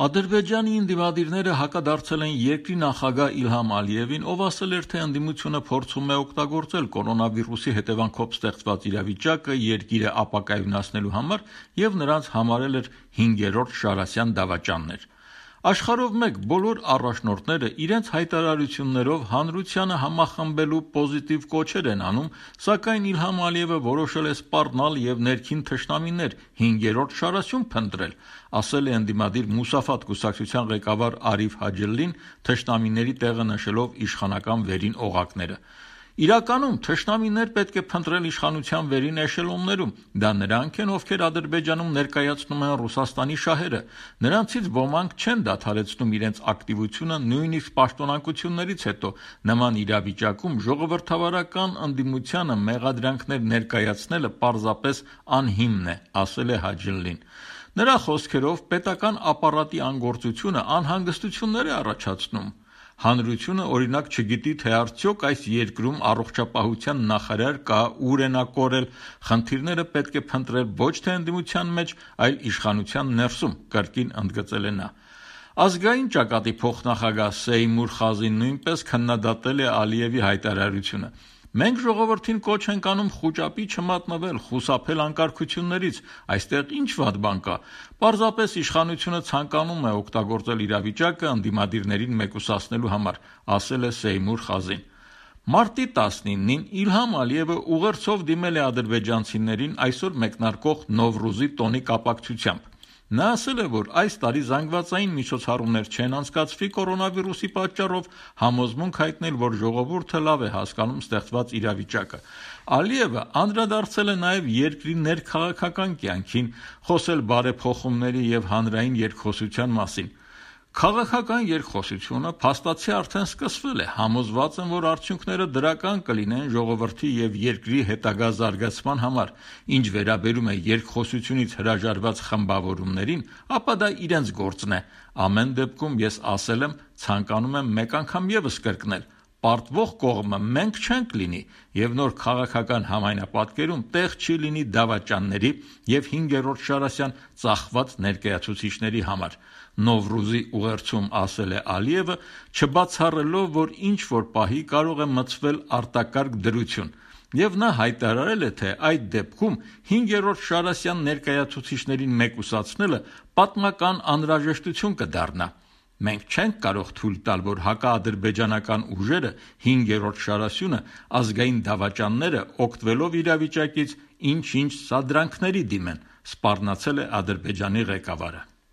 Ադրբեջանի ընդդիմադիրները հակադարձել են երկրի նախագահ Իլհամ Ալիևին, ով ասել էր, թե ընդդիմությունը փորձում է օգտագործել կորոնավիրուսի հետևանքով ստեղծված իրավիճակը երկիրը ապակայունացնելու համար և նրանց համարել էր 5-րդ Շարասյան դավաճաններ։ Աշխարհով մեկ բոլոր առաջնորդները իրենց հայտարարություններով հանրությանը համախմբելու պոզիտիվ կոչեր են անում, սակայն Իլհամ Ալիևը որոշել է սպառնալ և ներքին թշնամիներ 5-րդ Շարասյուն փնտրել, ասել է ընդդիմադիր Մուսաֆատ կուսակցության ղեկավար Արիֆ Հաջելլին, թշնամիների տեղը նշելով իշխանական վերին օղակները։ Իրականում թշնամիներ պետք է փնտրել իշխանության վերին էշելոններում, դա նրանք են, ովքեր Ադրբեջանում ներկայացնում են Ռուսաստանի շահերը, նրանցից ոմանք չեն դադարեցնում իրենց ակտիվությունը նույնիսկ պաշտոնակություններից հետո, նման իրավիճակում ժողովրդավարական ընդդիմությանը մեղադրանքներ ներկայացնելը պարզապես անհիմն է, ասել է Հաջելլին։ Նրա խոսքերով պետական ապարատի անգործությունը անհանգստություններ է առաջացնում։ Հանրությունը օրինակ չգիտի, թե արդյոք այս երկրում առողջապահության նախարար կա, ուր է նա կորել, խնդիրները պետք է փնտրել ոչ թե ընդդիմության մեջ, այլ իշխանության ներսում, կրկին ընդգծել է նա։ Ազգային ճակատի փոխնախագահ Սեյմուր Խազին նույնպես քննադատել է Ալիևի հայտարարությունը։ Մենք ժողովրդին կոչ ենք անում խուճապի չմատնվել, խուսափել անկարգություններից, այստեղ ինչ վատ բան կա։ Պարզապես իշխանությունը ցանկանում է օգտագործել իրավիճակը ընդդիմադիրներին մեկուսացնելու համար, ասել է Սեյմուր Խազին։ Մարտի 19-ին Իլհամ Ալիևը ուղերձով դիմել է ադրբեջանցիներին այսօր մեկնարկող Նովրուզի տոնի կապակցությամբ։ Նա ասել է, որ այս տարի զանգվածային միջոցառումներ չեն անցկացվի կորոնավիրուսի պատճառով, համոզմունք հայտնել, որ ժողովուրդը լավ է հասկանում ստեղծված իրավիճակը։ Ալիևը անդրադարձել է նաև երկրի ներքաղաքական կյանքին, խոսել բարեփոխումների և հանրային երկխոսության մասին։ Քաղաքական երկխոսությունը փաստացի արդեն սկսվել է, համոզված եմ, որ արդյունքները դրական կլինեն ժողովրդի և երկրի հետագա զարգացման համար։ Ինչ վերաբերում է երկխոսությունից հրաժարված խմբավորումներին, ապա դա իրենց գործն է։ Ամեն դեպքում ես ասել եմ, ցանկանում եմ մեկ անգամ ևս կրկնել. պարտվող կողմը մենք չենք լինի և նոր քաղաքական համայնապատկերում տեղ չի լինի դավաճանների և 5-րդ Շարասյան ծախված ներկայացուցիչների համար։ Նովրուզի ուղերձում ասել է Ալիևը, չբացառելով, որ ինչ-որ պահի կարող է մտցվել արտակարգ դրություն, և նա հայտարարել է, թե այդ դեպքում 5-րդ Շարասյան ներկայացուցիչներին մեկուսացնելը պատմական անհրաժեշտություն կդառնա։ Մենք չենք կարող թույլ տալ, որ հակաադրբեջանական ուժերը 5-րդ Շարասյունը, ազգային դավաճանները օգտվելով իրավիճակից ինչ-ինչ սադրանքների դիմեն, սպառնացել է Ադրբեջանի ղեկավարը։